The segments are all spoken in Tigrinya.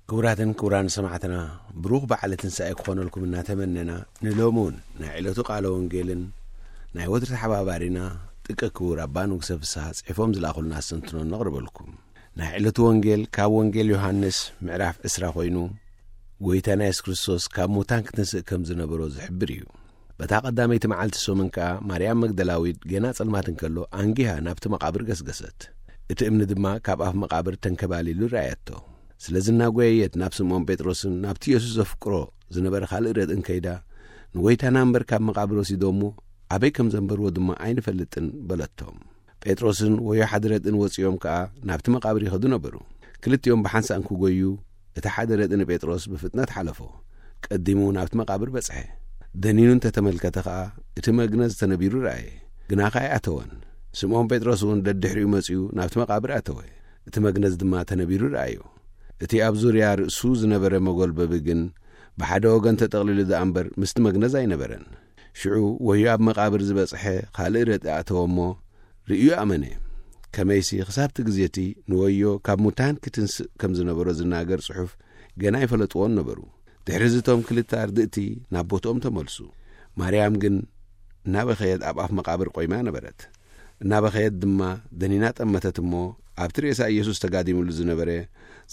ክቡራትን ክቡራን ሰማዕትና፣ ብሩኽ በዓለ ትንሳኤ ክኾነልኩም እናተመነና፣ ንሎሚ እውን ናይ ዕለቱ ቃለ ወንጌልን ናይ ወትሪ ተሓባባሪና ጥቀ ክቡር ኣባ ንጉሰ ፍስሓ ጽሒፎም ዝለኣኹልና ኣስተንትኖ ነቕርበልኩም። ናይ ዕለቱ ወንጌል ካብ ወንጌል ዮሃንስ ምዕራፍ ዕስራ ኮይኑ፣ ጎይታና የሱስ ክርስቶስ ካብ ሙታን ክትንስእ ከም ዝነበሮ ዝሕብር እዩ። በታ ቀዳመይቲ መዓልቲ ሰሙን ከኣ ማርያም መግደላዊት ገና ጸልማት እንከሎ ኣንጊሃ ናብቲ መቓብር ገስገሰት። እቲ እምኒ ድማ ካብ ኣፍ መቓብር ተንከባሊሉ ረኣየቶ። ስለዚ እናጎየየት ናብ ስምዖን ጴጥሮስን ናብቲ የሱስ ዘፍቅሮ ዝነበረ ካልእ ረድእን ከይዳ፣ ንጎይታና እምበር ካብ መቓብር ወሲዶሞ፣ ኣበይ ከም ዘንበርዎ ድማ ኣይንፈልጥን በለቶም። ጴጥሮስን ወዮ ሓደ ረድእን ወጺኦም ከኣ ናብቲ መቓብር ይኸዱ ነበሩ። ክልቲኦም ብሓንሳእ እንክጎዩ፣ እቲ ሓደ ረድእ ንጴጥሮስ ብፍጥነት ሓለፎ። ቀዲሙ ናብቲ መቓብር በጽሐ። ደኒኑ እንተ ተመልከተ ኸኣ፣ እቲ መግነዝ ተነቢሩ ረኣየ። ግናኸ ኣይኣተወን። ስምዖን ጴጥሮስ እውን ደድሕሪኡ መጺኡ ናብቲ መቓብር ኣተወ። እቲ መግነዝ ድማ ተነቢሩ ረኣዮ። እቲ ኣብ ዙርያ ርእሱ ዝነበረ መጎልበቢ ግን ብሓደ ወገን ተጠቕሊሉ ደኣ እምበር ምስቲ መግነዝ ኣይነበረን። ሽዑ ወዮ ኣብ መቓብር ዝበጽሐ ካልእ ረድእ ኣተወ እሞ ርእዩ ኣመነ። ከመይሲ ክሳብቲ ግዜ እቲ ንወዮ ካብ ሙታን ክትንስእ ከም ዝነበሮ ዝናገር ጽሑፍ ገና ኣይፈለጥዎን ነበሩ። ድሕሪ እዚ እቶም ክልተ ኣርድእቲ ናብ ቦትኦም ተመልሱ። ማርያም ግን እናበኸየት ኣብ ኣፍ መቓብር ቆይማ ነበረት። እናበኸየት ድማ ደኒና ጠመተት እሞ ኣብቲ ሬሳ ኢየሱስ ተጋዲሙሉ ዝነበረ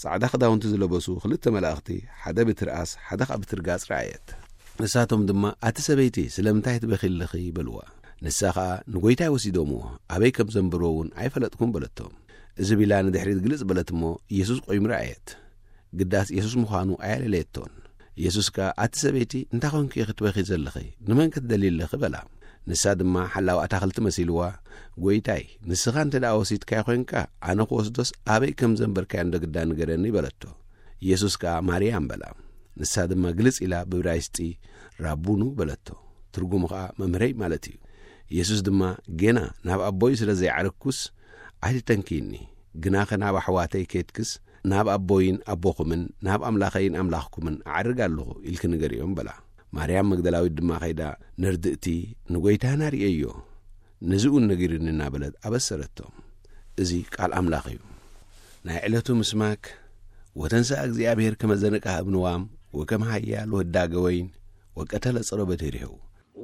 ጻዕዳ ክዳውንቲ ዝለበሱ ክልተ መላእኽቲ፣ ሓደ ብትርኣስ ሓደ ኸኣ ብትርጋጽ ረኣየት። ንሳቶም ድማ፣ "ኣቲ ሰበይቲ፣ ስለምንታይ ትበኺ ኣለኺ?" በልዋ። ንሳ ኸኣ፣ "ንጎይታይ ወሲዶምዎ፣ ኣበይ ከም ዘንበርዎ እውን ኣይፈለጥኩን" በለቶም። እዚ ቢላ ንድሕሪት ግልጽ በለት እሞ፣ ኢየሱስ ቆይሙ ረኣየት። ግዳስ የሱስ ምዃኑ ኣየለለየቶን። የሱስ ከኣ፣ "ኣቲ ሰበይቲ፣ እንታይ ኾንኪ ኢኺ ትበኺ ዘለኺ? ንመን ከ ትደልዪ ኣለኺ?" በላ። ንሳ ድማ ሓላዊ ኣታኽልቲ መሲልዋ፣ "ጐይታይ፣ ንስኻ እንተ ደኣ ወሲድካዮ ኾይንካ፣ ኣነ ክወስዶስ ኣበይ ከም ዘንበርካዮ እንዶ ግዳ ንገረኒ" በለቶ። የሱስ ከኣ፣ "ማርያም" በላ። ንሳ ድማ ግልጽ ኢላ ብብራይስጢ፣ "ራቡኑ" በለቶ። ትርጉሙ ኸኣ፣ "መምህረይ" ማለት እዩ። የሱስ ድማ፣ "ጌና ናብ ኣቦይ ስለ ዘይዓረግኩስ፣ ኣይትተንክይኒ፣ ግናኸ ናብ ኣሕዋተይ ኬድክስ፣ ናብ ኣቦይን ኣቦኹምን ናብ ኣምላኸይን ኣምላኽኩምን ኣዕርግ ኣለኹ" ኢልኪ ንገርዮም በላ። ማርያም መግደላዊት ድማ ከይዳ፣ "ነርድእቲ ንጐይታና ርእየዮ፣ ነዚ እውን ነጊሩኒ" እናበለት ኣበሰረቶም። እዚ ቃል ኣምላኽ እዩ። ናይ ዕለቱ ምስማክ፣ "ወተንሥአ እግዚኣብሔር ከመ ዘንቅሃ እብንዋም ወከመ ኃያል ወህዳገ ወይን ወቀተለ ጸሮ በድህሬሁ"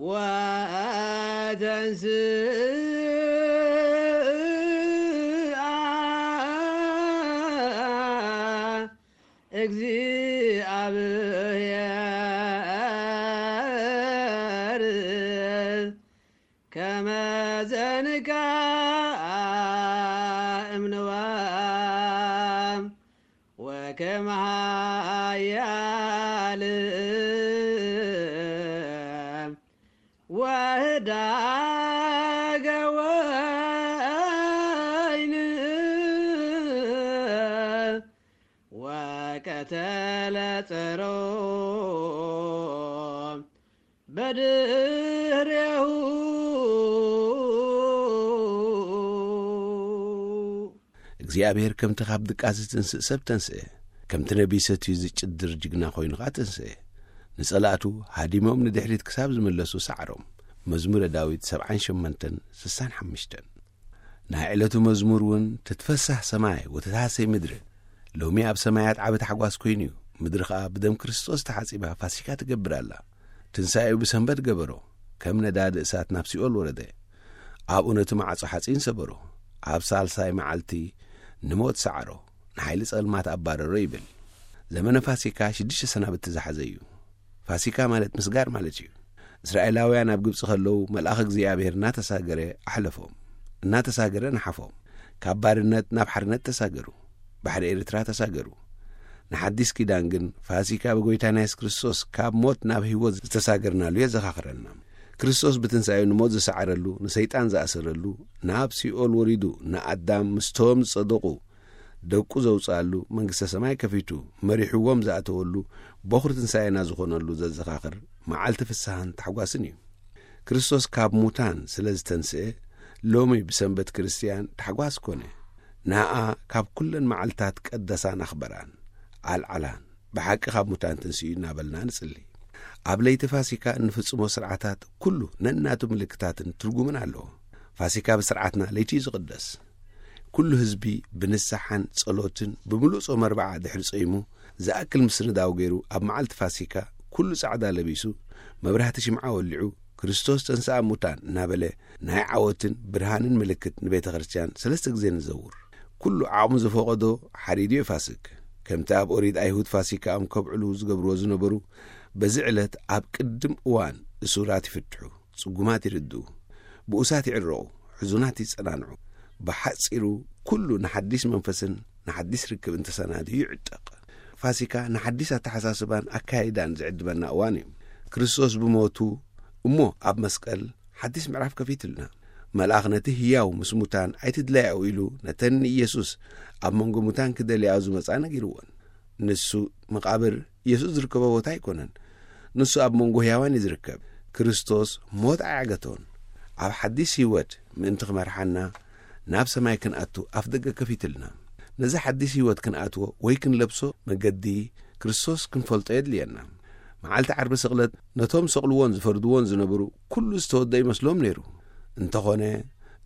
ወተንስእ እግዚኣብሔር ከመ ዘንቃ እምንዋ ወከመ ኃያል ወህዳገ ወይን ወቀተለ ጸሮ በድህሬሁ። እግዚኣብሔር ከምቲ ካብ ድቃስ ዝትንስእ ሰብ ተንስአ፣ ከምቲ ነቢይ ሰትዩ ዝጭድር ጅግና ኮይኑ ኸኣ ተንስአ። ንጸላእቱ ሃዲሞም ንድሕሪት ክሳብ ዝምለሱ ሰዓሮም። መዝሙረ ዳዊት ሰብዓን ሸሞንተን ስሳን ሓሙሽተን። ናይ ዕለቱ መዝሙር እውን፣ "ትትፈሳህ ሰማይ ወተትሃሰይ ምድሪ"፣ ሎሚ ኣብ ሰማያት ዓቢ ታሕጓስ ኮይኑ እዩ። ምድሪ ኸኣ ብደም ክርስቶስ ተሓጺባ ፋሲካ ትገብር ኣላ። ትንሳኤኡ ብሰንበት ገበሮ፣ ከም ነዳዲ እሳት ናብ ሲኦል ወረደ። ኣብኡ ነቲ ማዕጾ ሓጺን ሰበሮ፣ ኣብ ሳልሳይ መዓልቲ ንሞት ሰዓሮ፣ ንሓይሊ ጸልማት ኣባረሮ ይብል። ዘመነ ፋሲካ ሽዱሽተ ሰናብቲ ዝሓዘ እዩ። ፋሲካ ማለት ምስጋር ማለት እዩ። እስራኤላውያን ኣብ ግብጺ ከለዉ መልኣኽ እግዚኣብሔር እናተሳገረ ኣሕለፎም፣ እናተሳገረ ነሓፎም። ካብ ባርነት ናብ ሓርነት ተሳገሩ፣ ባሕሪ ኤርትራ ተሳገሩ። ንሓዲስ ኪዳን ግን ፋሲካ ብጎይታና የሱስ ክርስቶስ ካብ ሞት ናብ ህይወት ዝተሳገርናሉ የዘኻኽረና። ክርስቶስ ብትንሳኤኡ ንሞት ዝሰዓረሉ፣ ንሰይጣን ዝኣሰረሉ፣ ናብ ሲኦል ወሪዱ ንኣዳም ምስቶም ዝጸደቑ ደቁ ዘውጽኣሉ፣ መንግስተ ሰማይ ከፊቱ መሪሕዎም ዝኣተወሉ፣ በኹሪ ትንሳኤና ዝኾነሉ ዘዘኻኽር መዓልቲ ፍስሃን ታሕጓስን እዩ። ክርስቶስ ካብ ሙታን ስለ ዝተንስኤ፣ ሎሚ ብሰንበት ክርስትያን ታሕጓስ ኮነ። ንኣ ካብ ኩለን መዓልታት ቀደሳን ኣኽበራን፣ ኣልዓላን፣ ብሓቂ ካብ ሙታን ትንስኡ እናበልና ንጽሊ። ኣብ ለይቲ ፋሲካ እንፍጽሞ ስርዓታት ኩሉ ነናቱ ምልክታትን ትርጉምን ኣለዎ። ፋሲካ ብስርዓትና ለይቲ እዩ ዝቕደስ። ኩሉ ህዝቢ ብንስሓን ጸሎትን ብምሉእ ጾም ኣርብዓ ድሕሪ ጾይሙ ዝኣክል ምስንዳው ገይሩ፣ ኣብ መዓልቲ ፋሲካ ኩሉ ጻዕዳ ለቢሱ፣ መብራህቲ ሽምዓ ወሊዑ፣ "ክርስቶስ ተንሥኣ እሙታን" እናበለ፣ ናይ ዓወትን ብርሃንን ምልክት ንቤተ ክርስቲያን ሰለስተ ግዜ ንዘውር። ኩሉ ዓቕሙ ዝፈቐዶ ሓዲዱ የፋስግ። ከምቲ ኣብ ኦሪት ኣይሁድ ፋሲካኦም ከብዕሉ ዝገብርዎ ዝነበሩ፣ በዚ ዕለት ኣብ ቅድም እዋን እሱራት ይፍትሑ፣ ጽጉማት ይርድኡ፣ ብኡሳት ይዕረቑ፣ ሕዙናት ይጸናንዑ። ብሓጺሩ፣ ኩሉ ንሓዲስ መንፈስን ንሓዲስ ርክብን ተሰናድዩ ይዕጠቕ። ፋሲካ ንሓዲስ ኣተሓሳስባን ኣካይዳን ዝዕድመና እዋን እዩ። ክርስቶስ ብሞቱ እሞ ኣብ መስቀል ሓዲስ ምዕራፍ ከፊትልና። መልኣኽ ነቲ ህያው ምስ ሙታን ኣይትድለያኡ ኢሉ ነተን ንኢየሱስ ኣብ መንጎ ሙታን ክደልያኦ ዝመጻ ነጊርዎን። ንሱ መቓብር ኢየሱስ ዝርከቦ ቦታ ኣይኮነን። ንሱ ኣብ መንጎ ህያዋን እዩ ዝርከብ። ክርስቶስ ሞት ኣያገቶን። ኣብ ሓዲስ ህይወት ምእንቲ ክመርሓና ናብ ሰማይ ክንኣቱ ኣፍ ደገ ከፊትልና። ነዚ ሓዲስ ህይወት ክንኣትዎ ወይ ክንለብሶ መገዲ ክርስቶስ ክንፈልጦ የድልየና። መዓልቲ ዓርቢ ስቕለት ነቶም ሰቕልዎን ዝፈርድዎን ዝነበሩ ኩሉ ዝተወደ ይመስሎም ነይሩ። እንተኾነ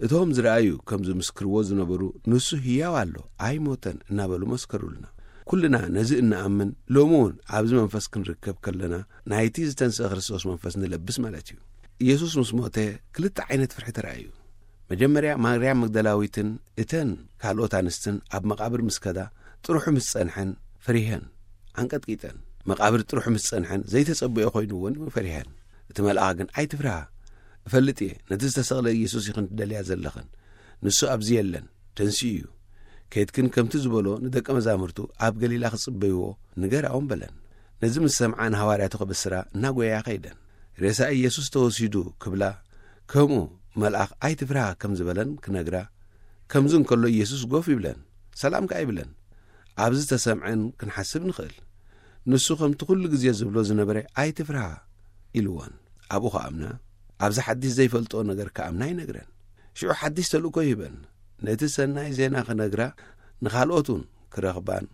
እቶም ዝረኣዩ ከም ዝምስክርዎ ዝነበሩ፣ "ንሱ ህያው ኣሎ፣ ኣይሞተን" እናበሉ መስከሩልና። ኩልና ነዚ እንኣምን፣ ሎሚ እውን ኣብዚ መንፈስ ክንርከብ ከለና፣ ናይቲ ዝተንስአ ክርስቶስ መንፈስ ንለብስ ማለት እዩ። ኢየሱስ ምስ ሞተ፣ ክልተ ዓይነት ፍርሒ ተራእዩ። መጀመርያ ማርያም መግደላዊትን እተን ካልኦት ኣንስትን ኣብ መቓብር ምስ ከዳ፣ ጥርሑ ምስ ጸንሐን ፈሪሄን፣ ኣንቀጥቂጠን። መቓብር ጥርሑ ምስ ጸንሐን ዘይተጸብኦ ኮይንወን ፈሪሄን። እቲ መልኣኽ ግን፣ "ኣይትፍርሃ፣ እፈልጥ እየ፣ ነቲ ዝተሰቕለ ኢየሱስ ኢኽን ትደልያ ዘለኽን። ንሱ ኣብዚ የለን፣ ተንሲኡ እዩ። ኬድክን ከምቲ ዝበሎ ንደቀ መዛሙርቱ ኣብ ገሊላ ክጽበይዎ ንገራኦም" በለን። ነዚ ምስ ሰምዓ ንሃዋርያቱ ከበስራ እናጎያ ከይደን። "ሬሳ ኢየሱስ ተወሲዱ" ክብላ፣ ከምኡ መልኣኽ "ኣይትፍርሃ" ከም ዝበለን ክነግራ፣ ከምዚ እንከሎ ኢየሱስ ጎፍ ይብለን፣ ሰላም ከኣ ይብለን። ኣብዚ ተሰምዐን ክንሓስብ ንኽእል። ንሱ ከምቲ ኩሉ ግዜ ዝብሎ ዝነበረ "ኣይትፍርሃ" ኢልወን። ኣብኡ ክኣምና፣ ኣብዚ ሓዲስ ዘይፈልጦ ነገር ክኣምና ይነግረን። ሽዑ ሓዲስ ተልእኮ ይህበን። ነቲ ሰናይ ዜና ክነግራ፣ ንኻልኦት እውን ክረኽባን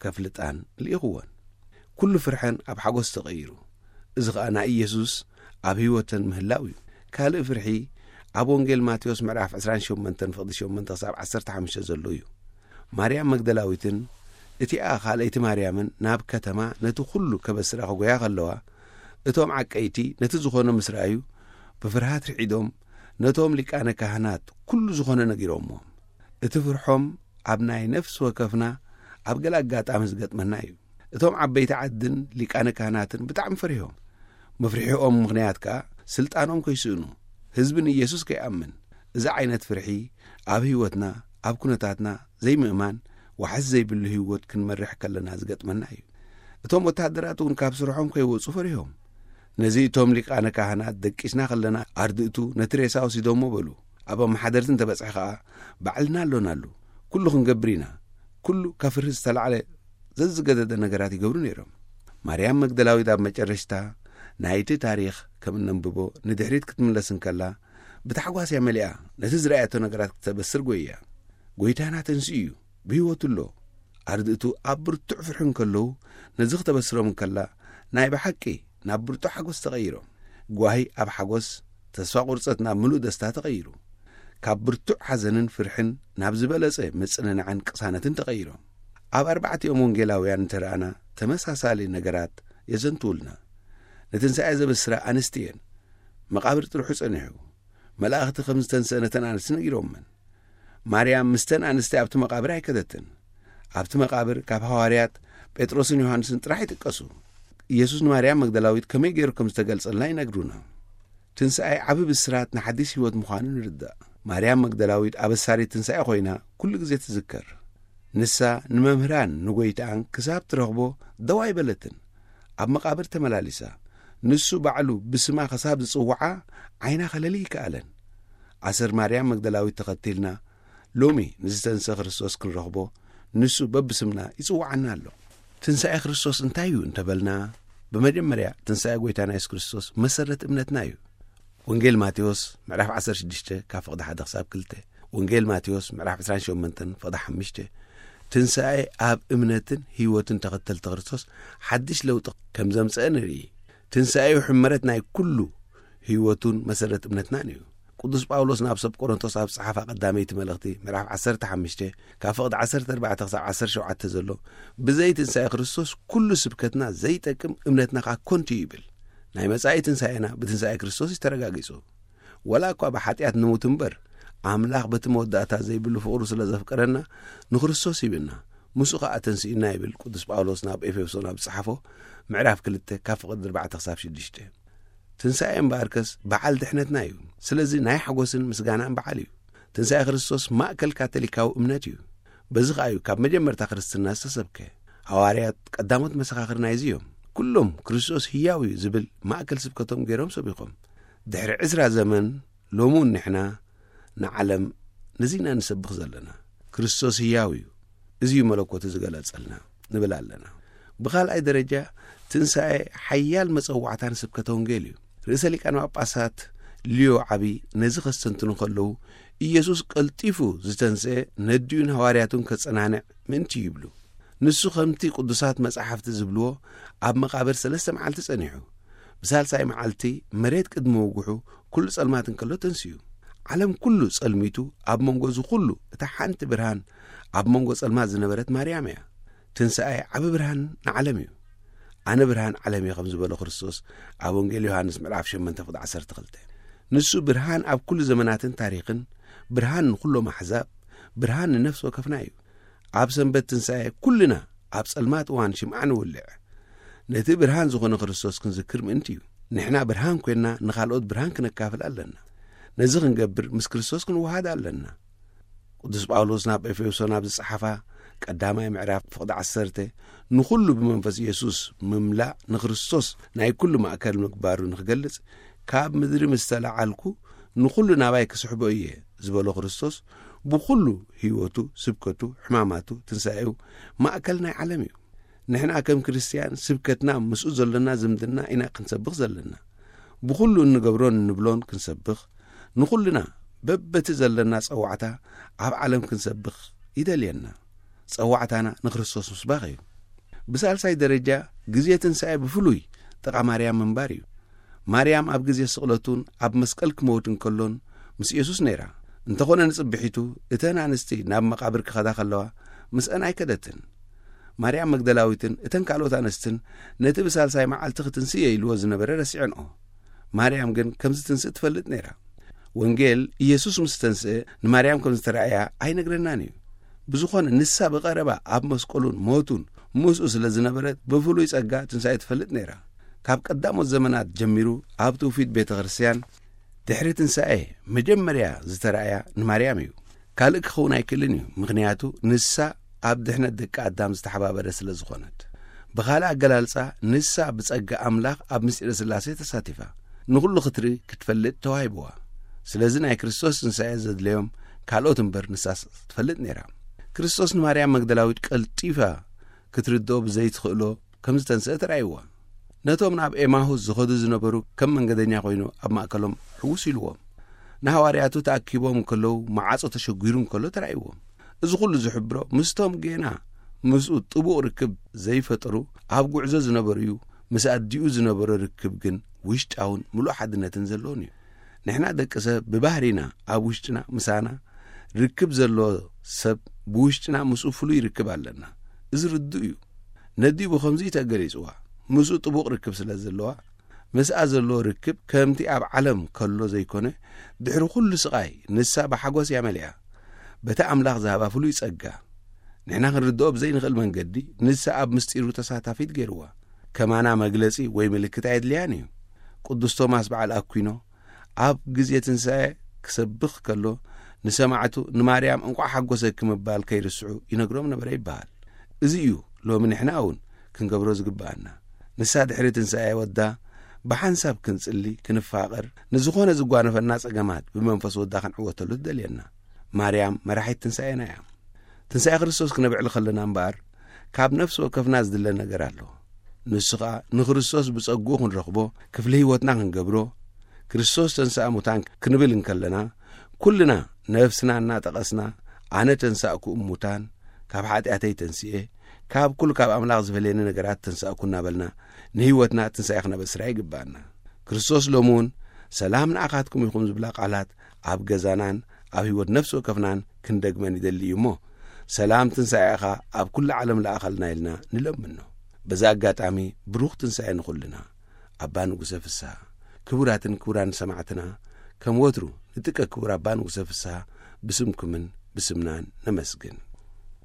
ከፍልጣን ልኢኽወን። ኩሉ ፍርሐን ኣብ ሓጎስ ተቐይሩ። እዚ ኸኣ ናይ ኢየሱስ ኣብ ህይወተን ምህላው እዩ። ካልእ ፍርሒ ኣብ ወንጌል ማቴዎስ ምዕራፍ ዕስራን ሸሞንተን ፍቕዲ ሸሞንተ ክሳብ ዓሰርተ ሓሙሽተ ዘሎ እዩ። ማርያም መግደላዊትን እቲኣ ካልኣይቲ ማርያምን ናብ ከተማ ነቲ ኩሉ ከበስራ ክጎያ ከለዋ፣ እቶም ዓቀይቲ ነቲ ዝኾነ ምስ ረኣዩ፣ ብፍርሃት ርዒዶም ነቶም ሊቃነ ካህናት ኩሉ ዝኾነ ነጊሮምዎም። እቲ ፍርሖም ኣብ ናይ ነፍሲ ወከፍና ኣብ ገለ ኣጋጣሚ ዝገጥመና እዩ። እቶም ዓበይቲ ዓድን ሊቃነ ካህናትን ብጣዕሚ ፈሪሆም። መፍርሒኦም ምኽንያት ከኣ ስልጣኖም ከይስእኑ፣ ህዝቢ ንኢየሱስ ከይኣምን። እዚ ዓይነት ፍርሒ ኣብ ህይወትና፣ ኣብ ኩነታትና ዘይምእማን፣ ዋሕስ ዘይብሉ ህይወት ክንመርሕ ከለና ዝገጥመና እዩ። እቶም ወተሃደራት እውን ካብ ስርሖም ከይወጹ ፈሪሆም። ነዚ እቶም ሊቃነ ካህናት ደቂስና ከለና ኣርድእቱ ነቲ ሬሳ ወሲዶሞ በሉ። ኣብ ኣመሓደርቲ እንተበጽሐ ከኣ ባዕልና ኣሎናሉ። ኩሉ ክንገብር ኢና። ኩሉ ካብ ፍርሂ ዝተላዕለ ዘዝገደደ ነገራት ይገብሩ ነይሮም። ማርያም መግደላዊት ኣብ መጨረሽታ ናይቲ ታሪኽ ከም እነንብቦ ንድሕሪት ክትምለስ እንከላ ብታሕጓስ እያ መሊኣ ነቲ ዝረኣየቶ ነገራት ክተበስር ጎይያ። ጎይታና ተንስኡ እዩ፣ ብህይወቱ ኣሎ። ኣርድእቱ ኣብ ብርቱዕ ፍርሒ እንከለዉ ነዚ ክተበስሮም እንከላ ናይ ብሓቂ ናብ ብርቱዕ ሓጎስ ተቐይሮም። ጓሂ ኣብ ሓጎስ፣ ተስፋ ቁርጸት ናብ ምሉእ ደስታ ተቐይሩ። ካብ ብርቱዕ ሓዘንን ፍርሕን ናብ ዝበለጸ ምጽንናዕን ቅሳነትን ተቐይሮም። ኣብ ኣርባዕቲኦም ወንጌላውያን እንተረኣና ተመሳሳሊ ነገራት የዘንትውልና። ንትንሳኤ ዘበስራ ኣንስቲ እየን። መቓብር ጥርሑ ጸኒሑ። መላእኽቲ ከም ዝተንስአ ነተን ኣንስቲ ነጊሮመን። ማርያም ምስተን ኣንስቲ ኣብቲ መቓብር ኣይከደትን። ኣብቲ መቓብር ካብ ሃዋርያት ጴጥሮስን ዮሃንስን ጥራሕ ይጥቀሱ። ኢየሱስ ንማርያም መግደላዊት ከመይ ገይሩ ከም ዝተገልጸልና ይነግሩና። ትንሳኤ ዓቢ ብስራት ንሓዲስ ህይወት ምዃኑ ንርዳእ። ማርያም መግደላዊት ኣበሳሪት ትንሳኤ ኮይና ኩሉ ግዜ ትዝከር። ንሳ ንመምህራን ንጎይታኣን ክሳብ ትረኽቦ ደው ኣይበለትን። ኣብ መቓብር ተመላሊሳ፣ ንሱ ባዕሉ ብስማ ክሳብ ዝጽውዓ ዓይና ከለሊ ይከኣለን። ኣሰር ማርያም መግደላዊት ተኸቲልና ሎሚ ንዝተንሰ ክርስቶስ ክንረኽቦ ንሱ በብስምና ይጽውዓና ኣሎ። ትንሳኤ ክርስቶስ እንታይ እዩ እንተበልና፣ ብመጀመርያ ትንሳኤ ጎይታና የሱስ ክርስቶስ መሰረት እምነትና እዩ። ወንጌል ማቴዎስ ምዕራፍ ዓሰርተ ሽዱሽተ ካብ ፍቕዲ ሓደ ክሳብ ክልተ፣ ወንጌል ማቴዎስ ምዕራፍ ዕስራን ሸሞንተን ፍቕዲ ሓሙሽተ፣ ትንሳኤ ኣብ እምነትን ህይወትን ተኸተልቲ ክርስቶስ ሓድሽ ለውጢ ከም ዘምጽአ ንርኢ። ትንሳኤኡ ሕመረት ናይ ኩሉ ህይወቱን መሰረት እምነትናን እዩ። ቅዱስ ጳውሎስ ናብ ሰብ ቆሮንቶስ ኣብ ዝጸሓፋ ቀዳመይቲ መልእኽቲ ምዕራፍ ዓሰርተ ሓሙሽተ ካብ ፍቕዲ ዓሰርተ ኣርባዕተ ክሳብ ዓሰርተ ሸውዓተ ዘሎ፣ ብዘይ ትንሳኤ ክርስቶስ ኩሉ ስብከትና ዘይጠቅም፣ እምነትና ከኣ ኮንቱ እዩ ይብል። ናይ መጻኢ ትንሳኤና ብትንሳኤ ክርስቶስ እዩ ተረጋጊጹ። ወላ እኳ ብሓጢኣት ንሙት እምበር፣ ኣምላኽ በቲ መወዳእታ ዘይብሉ ፍቕሩ ስለ ዘፍቀረና ንክርስቶስ ሂብና፣ ምስኡ ከኣ ተንሲእና ይብል ቅዱስ ጳውሎስ ናብ ኤፌሶን ኣብ ዝጸሓፎ ምዕራፍ ክልተ ካብ ፍቕዲ ኣርባዕተ ክሳብ ሽዱሽተ። ትንሳኤ እምበኣርከስ በዓል ድሕነትና እዩ። ስለዚ ናይ ሓጎስን ምስጋናን በዓል እዩ። ትንሳኤ ክርስቶስ ማእከል ካቶሊካዊ እምነት እዩ። በዚ ከኣ እዩ ካብ መጀመርታ ክርስትና ዝተሰብከ። ሃዋርያት ቀዳሞት መሰኻኽር ናይዚ እዮም። ኩሎም ክርስቶስ ህያው እዩ ዝብል ማእከል ስብከቶም ገይሮም ሰቢኾም። ድሕሪ ዕስራ ዘመን ሎሚ እውን ንሕና ንዓለም ነዚ ኢና ንሰብኽ ዘለና። ክርስቶስ ህያው እዩ፣ እዚ እዩ መለኮቱ ዝገለጸልና ንብል ኣለና። ብኻልኣይ ደረጃ፣ ትንሳኤ ሓያል መጸዋዕታ ንስብከተ ወንጌል እዩ። ርእሰ ሊቃነ ጳጳሳት ሊዮ ዓቢ ነዚ ከስተንትኑ ከለዉ፣ ኢየሱስ ቀልጢፉ ዝተንስኤ ነዲኡን ሃዋርያቱን ከጸናንዕ ምእንቲ ይብሉ። ንሱ ከምቲ ቅዱሳት መጻሕፍቲ ዝብልዎ ኣብ መቓብር ሰለስተ መዓልቲ ጸኒሑ፣ ብሳልሳይ መዓልቲ መሬት ቅድሚ ምውግሑ ኩሉ ጸልማት እንከሎ ተንስኡ። ዓለም ኩሉ ጸልሚቱ ኣብ መንጎ እዚ ኩሉ እታ ሓንቲ ብርሃን ኣብ መንጎ ጸልማት ዝነበረት ማርያም እያ። ትንሳኤ ዓቢ ብርሃን ንዓለም እዩ። ኣነ ብርሃን ዓለም እየ ከም ዝበሎ ክርስቶስ ኣብ ወንጌል ዮሃንስ ምዕራፍ ሸሞንተ ፍቕዲ ዓሰርተ ክልተ። ንሱ ብርሃን ኣብ ኩሉ ዘመናትን ታሪኽን፣ ብርሃን ንኩሎም ኣሕዛብ፣ ብርሃን ንነፍሲ ወከፍና እዩ። ኣብ ሰንበት ትንሳኤ ኩልና ኣብ ጸልማት እዋን ሽምዓ ንውልዕ። ነቲ ብርሃን ዝኾነ ክርስቶስ ክንዝክር ምእንቲ እዩ። ንሕና ብርሃን ኮይንና ንኻልኦት ብርሃን ክነካፍል ኣለና። ነዚ ክንገብር ምስ ክርስቶስ ክንወሃድ ኣለና። ቅዱስ ጳውሎስ ናብ ኤፌሶን ኣብ ዝጸሓፋ ቀዳማይ ምዕራፍ ፍቕዲ ዓሰርተ፣ ንኹሉ ብመንፈስ ኢየሱስ ምምላእ ንክርስቶስ ናይ ኩሉ ማእከል ምግባሩ ንክገልጽ፣ ካብ ምድሪ ምስ ተለዓልኩ ንኹሉ ናባይ ክስሕቦ እየ ዝበሎ ክርስቶስ፣ ብኹሉ ህይወቱ፣ ስብከቱ፣ ሕማማቱ፣ ትንሳኤኡ ማእከል ናይ ዓለም እዩ። ንሕና ከም ክርስትያን ስብከትና ምስኡ ዘሎና ዝምድና ኢና ክንሰብኽ ዘለና። ብኹሉ እንገብሮን እንብሎን ክንሰብኽ፣ ንኹልና በበቲ ዘለና ጸዋዕታ ኣብ ዓለም ክንሰብኽ ይደልየና። ጸዋዕታና ንክርስቶስ ምስባኽ እዩ። ብሳልሳይ ደረጃ፣ ግዜ ትንሳኤ ብፍሉይ ጥቓ ማርያም ምንባር እዩ። ማርያም ኣብ ግዜ ስቕለቱን ኣብ መስቀል ክመውት እንከሎን ምስ ኢየሱስ ነይራ። እንተኾነ ንጽብሒቱ እተን ኣንስቲ ናብ መቓብር ክኸዳ ከለዋ ምስአን ኣይከደትን። ማርያም መግደላዊትን እተን ካልኦት ኣንስትን ነቲ ብሳልሳይ መዓልቲ ክትንስእ እየ ኢልዎ ዝነበረ ረሲዐንኦ። ማርያም ግን ከም ዝትንስእ ትፈልጥ ነይራ። ወንጌል ኢየሱስ ምስ ተንስአ ንማርያም ከም ዝተራእያ ኣይነግረናን እዩ። ብዝኾነ ንሳ ብቐረባ ኣብ መስቀሉን ሞቱን ምስኡ ስለ ዝነበረት ብፍሉይ ጸጋ ትንሳኤ ትፈልጥ ነይራ። ካብ ቀዳሞት ዘመናት ጀሚሩ ኣብ ትውፊት ቤተ ክርስቲያን ድሕሪ ትንሳኤ መጀመርያ ዝተራእያ ንማርያም እዩ። ካልእ ክኸውን ኣይክእልን እዩ፣ ምኽንያቱ ንሳ ኣብ ድሕነት ደቂ ኣዳም ዝተሓባበረ ስለ ዝኾነት። ብኻልእ ኣገላልጻ ንሳ ብጸጋ ኣምላኽ ኣብ ምስጢረ ስላሴ ተሳቲፋ ንኹሉ ክትርኢ ክትፈልጥ ተዋሂብዋ። ስለዚ ናይ ክርስቶስ ትንሳኤ ዘድለዮም ካልኦት እምበር ንሳስ ትፈልጥ ነይራ። ክርስቶስ ንማርያም መግደላዊት ቀልጢፋ ክትርድኦ ብዘይትኽእሎ ከም ዝተንስአ ተራእይዋ። ነቶም ናብ ኤማሁስ ዝኸዱ ዝነበሩ ከም መንገደኛ ኮይኑ ኣብ ማእከሎም ሕውስ ኢልዎም። ንሃዋርያቱ ተኣኪቦም እንከለዉ መዓጾ ተሸጒሩ እንከሎ ተራእይዎም። እዚ ኩሉ ዝሕብሮ ምስቶም ጌና ምስኡ ጥቡቕ ርክብ ዘይፈጠሩ ኣብ ጉዕዞ ዝነበሩ እዩ። ምስ ኣዲኡ ዝነበሮ ርክብ ግን ውሽጣውን ምሉእ ሓድነትን ዘለዎን እዩ። ንሕና ደቂ ሰብ ብባህሪና ኣብ ውሽጥና ምሳና ርክብ ዘለዎ ሰብ ብውሽጥና ምስኡ ፍሉይ ርክብ ኣለና። እዚ ርዱእ እዩ። ነዲኡ ብኸምዚ እዩ ተገሊጽዋ። ምስኡ ጥቡቕ ርክብ ስለ ዘለዋ ምስኣ ዘለዎ ርክብ ከምቲ ኣብ ዓለም ከሎ ዘይኮነ ድሕሪ ኩሉ ስቓይ ንሳ ብሓጎስ እያ መሊኣ። በቲ ኣምላኽ ዝሃባ ፍሉይ ጸጋ ንሕና ክንርድኦ ብዘይንኽእል መንገዲ ንሳ ኣብ ምስጢሩ ተሳታፊት ገይርዋ። ከማና መግለጺ ወይ ምልክት ኣየድልያን እዩ። ቅዱስ ቶማስ በዓል ኣኩይኖ ኣብ ግዜ ትንሳኤ ክሰብኽ ከሎ ንሰማዕቱ ንማርያም እንቋዕ ሓጎሰኪ ምባል ከይርስዑ ይነግሮም ነበረ ይበሃል። እዚ እዩ ሎሚ ንሕና እውን ክንገብሮ ዝግብኣና። ንሳ ድሕሪ ትንሳኤ ወዳ ብሓንሳብ ክንጽሊ፣ ክንፋቐር፣ ንዝኾነ ዝጓነፈና ጸገማት ብመንፈስ ወዳ ክንዕወተሉ ትደልየና። ማርያም መራሒት ትንሳኤና እያ። ትንሳኤ ክርስቶስ ክነብዕል ከለና እምበኣር ካብ ነፍሲ ወከፍና ዝድለ ነገር ኣሎ። ንሱ ኸኣ ንክርስቶስ ብጸግኡ ክንረኽቦ፣ ክፍሊ ህይወትና ክንገብሮ፣ ክርስቶስ ተንስኣ ሙታን ክንብል እንከለና፣ ኩልና ነፍስና እናጠቐስና ኣነ ተንሳእኩ እሙታን፣ ካብ ሓጢኣተይ ተንስኤ፣ ካብ ኩሉ ካብ ኣምላኽ ዝፈልየኒ ነገራት ተንሳእኩ እናበልና ንህይወትና ትንሳኤ ክነበስራ ይግብኣና። ክርስቶስ ሎሚ እውን ሰላም ንኣኻትኩም ይኹን ዝብላ ቃላት ኣብ ገዛናን ኣብ ህይወት ነፍሲ ወከፍናን ክንደግመን ይደሊ እዩ እሞ፣ ሰላም ትንሳኤኻ ኣብ ኩሉ ዓለም ለኣኸልና ኢልና ንለምኖ። በዚ ኣጋጣሚ ብሩኽ ትንሳኤ ንኹልና። ኣባ ንጉሰ ፍስሃ፣ ክቡራትን ክቡራን ሰማዕትና፣ ከም ወትሩ ንጥቀ ክቡር ኣባ ንጉሰ ፍስሃ ብስምኩምን ብስምናን ነመስግን።